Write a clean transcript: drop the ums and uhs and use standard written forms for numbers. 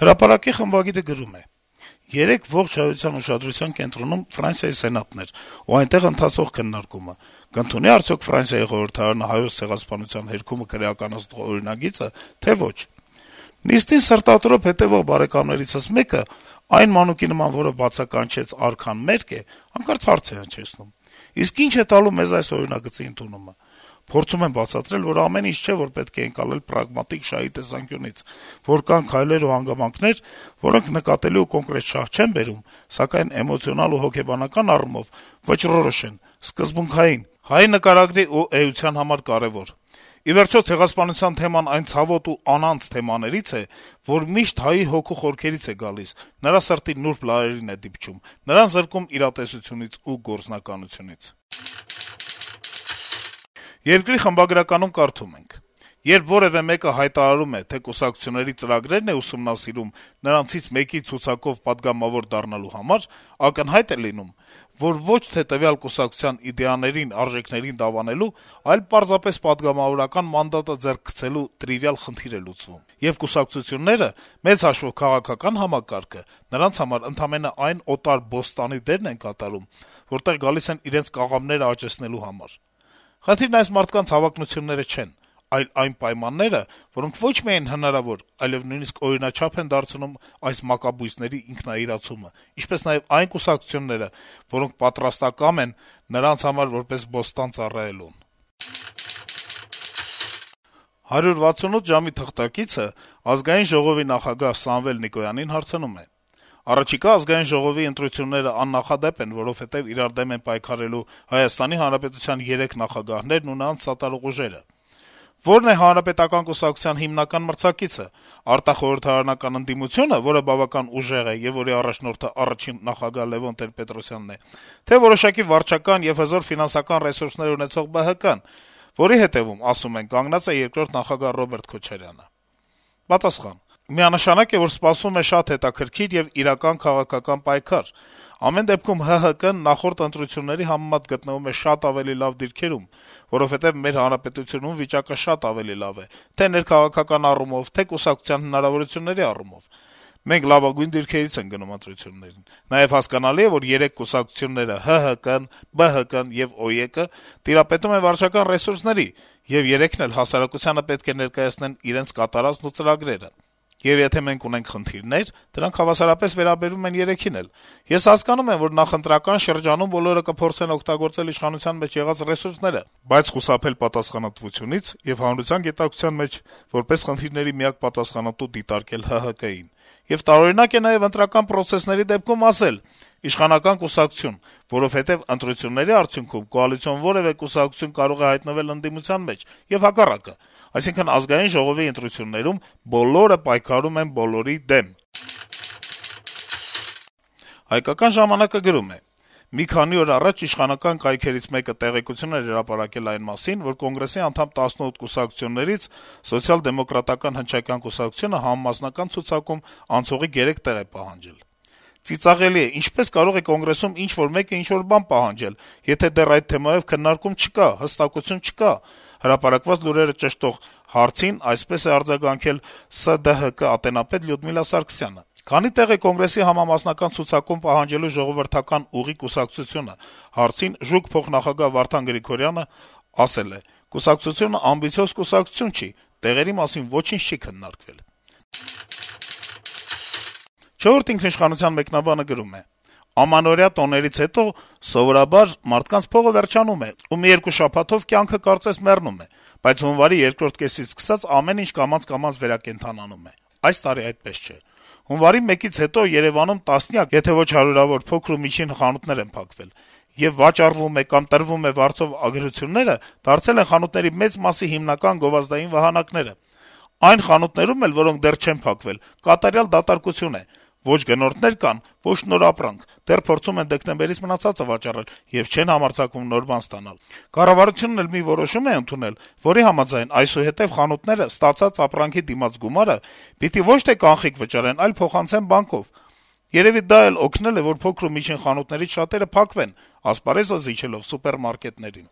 Հրապարակի խմբագիրը գրում է. - «Երեկ ողջ հայության ուշադրության կենտրոնում Ֆրանսիայի սենատն էր, ու այնտեղ ընթացող քննարկումը. կընդունի՞ արդյոք Ֆրանսիայի խորհրդարանը Հայոց ցեղասպանության հերքումը քրեականացնող օրինագիծը, թե ոչ: Նիստին սրտատրոփ հետեւող բարեկամներիցս մեկը, այն մանուկի նման, որը բացականչեց «արքան մերկ է», հանկարծ հարց է հնչեցնում. իսկ ի՞նչ է տալու մեզ այս օրինագծի ընդունումը: Փորձում եմ բացատրել, որ ամեն ինչ չէ, որ պետք է ընկալել պրագմատիկ շահի տեսանկյունից, որ կան քայլեր ու հանգամանքներ, որոնք նկատելի ու կոնկրետ շահ չեն բերում, սակայն էմոցիոնալ ու հոգեբանական առումով վճռորոշ են, սկզբունքային, հայ նկարագրի ու էության համար կարեւոր: Ի վերջո, ցեղասպանության թեման այն ցավոտ ու անանց թեմաներից է, որ միշտ հայի հոգու խորքերից է գալիս, նրա սրտի նուրբ լարերին է դիպչում, նրան զրկում իրատեսությունից ու գործնականությունից»: «Երկիր» խմբագրականում կարդում ենք. - «Երբ որեւէ մեկը հայտարարում է, թե կուսակցությունների ծրագրերն է ուսումնասիրում նրանցից մեկի ցուցակով պատգամավոր դառնալու համար, ակնհայտ է լինում, որ ոչ թե տվյալ կուսակցության իդեաներին, արժեքներին դավանելու, այլ պարզապես պատգամավորական մանդատը ձեռք գցելու տրիվիալ խնդիր է լուծվում: Եվ կուսակցությունները, մեծ հաշվով քաղաքական համակարգը, նրանց համար ընդամենը այն օտար բոստանի դերն են կատարում, որտեղ գալիս են իրենց կաղավները աճեցնելու համար: Խնդիրն այս մարդկանց հավակնությունները չեն, այլ այն պայմանները, որոնք ոչ միայն հնարավոր, այլեւ նույնիսկ օրինաչափ են դարձնում այս մակաբույծների ինքնաիրացումը, ինչպես նաեւ այն կուսակցությունները, որոնք պատրաստակամ են նրանց համար որպես բոստան ծառայելուն»: «168 ժամ»-ի թղթակիցը Ազգային ժողովի նախագահ Սամվել Նիկոյանին հարցնում է. - «Առաջիկա Ազգային ժողովի ընտրությունները աննախադեպ են, որովհետեւ իրար դեմ են պայքարելու Հայաստանի Հանրապետության 3 նախագահներն ու նրանց սատարող ուժերը: Ո՞րն է Հանրապետական կուսակցության հիմնական մրցակիցը: Արտախորհրդարանական ընդդիմությո՞ւնը, որը բավական ուժեղ է եւ որի առաջնորդը առաջին նախագահ Լեւոն Տեր-Պետրոսյանն է, թե՞ որոշակի վարչական եւ հզոր ֆինանսական ռեսուրսներ ունեցող ԲՀԿ-ն, որի հետեւում, ասում են, կանգնած է երկրորդ նախագահ Ռոբերտ Քոչարյանը»: Պատասխան. - «Միանշանակ է, որ սպասվում է շատ հետաքրքիր եւ իրական քաղաքական պայքար: Ամեն դեպքում ՀՀԿ-ն նախորդ ընտրությունների համեմատ գտնվում է շատ ավելի լավ դիրքերում, որովհետեւ մեր հանրապետությունում վիճակը շատ ավելի լավ է թե' ներքաղաքական առումով, թե' կուսակցության հնարավորությունների առումով: Մենք լավագույն դիրքերից ենք գնում ընտրություններին: Նաեւ հասկանալի է, որ 3 կուսակցությունները` ՀՀԿ-ն, ԲՀԿ-ն եւ ՕԵԿ-ը, տիրապետում են վարչական ռեսուրսների, եւ երեքն էլ հասարակությանը պետք է ներկայացնեն իրենց կատարածն ու ծրագրերը: Եվ եթե մենք ունենք խնդիրներ, դրանք հավասարապես վերաբերում են երեքին էլ: Ես հասկանում եմ, որ նախընտրական շրջանում բոլորը կփորձեն օգտագործել իշխանության մեջ եղած ռեսուրսները, բայց խուսափել պատասխանատվությունից եւ հանրության գիտակցության մեջ որպես խնդիրների միակ պատասխանատու դիտարկել ՀՀԿ-ին: Եվ տարօրինակ է նաեւ ընտրական պրոցեսների դեպքում ասել` իշխանական կուսակցություն, որովհետեւ ընտրությունների արդյունքում կոալիցիոն որեւէ կուսակցություն կարող է հայտնվել ընդդիմության մեջ, եւ հակառակը: Այսինքն` Ազգային ժողովի ընտրություններում բոլորը պայքարում են բոլորի դեմ»: «Հայկական ժամանակ»-ը գրում է. - «Մի քանի օր առաջ իշխանական կայքերից մեկը տեղեկություն էր հրապարակել այն մասին, որ Կոնգրեսի անդամ 18 կուսակցություններից Սոցիալ-դեմոկրատական հնչակյան կուսակցությունը համամասնական ցուցակում անցողիկ 3 տեղ է պահանջել: Ծիծաղելի է, ինչպե՞ս կարող է Կոնգրեսում ինչ-որ մեկը ինչ-որ բան պահանջել, եթե դեռ այդ թեմայով քննարկում չկա, հստակություն չկա»: Հրապարակված լուրերը ճշտող հարցին այսպես է արձագանքել ՍԴՀԿ ատենապետ Լյուդմիլա Սարգսյանը. - «Քանի՞ տեղ է Կոնգրեսի համամասնական ցուցակում պահանջելու ժողովրդական ուղի կուսակցությունը»: Հարցին փոխնախագահ Վարդան Գրիգորյանը ասել է. - «Կուսակցությունը ամբիցիոզ կուսակցություն չի, տեղերի մասին ոչինչ չի քննարկվել»: «Չորրորդ ինքնիշխանության» մեկնաբանը գրում է. - «Ամանորյա տոներից հետո սովորաբար մարդկանց փողը վերջանում է, ու մի երկու շաբաթով կյանքը կարծես մեռնում է, բայց հունվարի երկրորդ կեսից սկսած ամեն ինչ կամաց-կամաց վերակենդանանում է: Այս տարի այդպես չէ: Հունվարի 1-ից հետո Երեւանում տասնյակ, եթե ոչ հարյուրավոր փոքր ու միջին խանութներ են փակվել, եւ վաճառվում է կամ տրվում է վարձովագրությունները դարձել են խանութների մեծ մասի հիմնական գովազդային վահանակները: Այն խանութներում էլ, որոնք դեռ չեն փակվել, կատարյալ դատարկություն է: Ոչ գնորդներ կան, ոչ նոր ապրանք, դեռ փորձում են դեկտեմբերից մնացածը վաճառել եւ չեն համարձակվում նոր բան ստանալ: Կառավարությունն էլ մի որոշում է ընդունել, որի համաձայն այսուհետեւ խանութները ստացած ապրանքի դիմաց գումարը պիտի ոչ թե կանխիկ վճարեն, այլ փոխանցեն բանկով: Երեւի դա էլ օգնել է, որ փոքր ու միջին խանութներից շատերը փակվեն` ասպարեզը զիջելով սուպերմարկետներին»: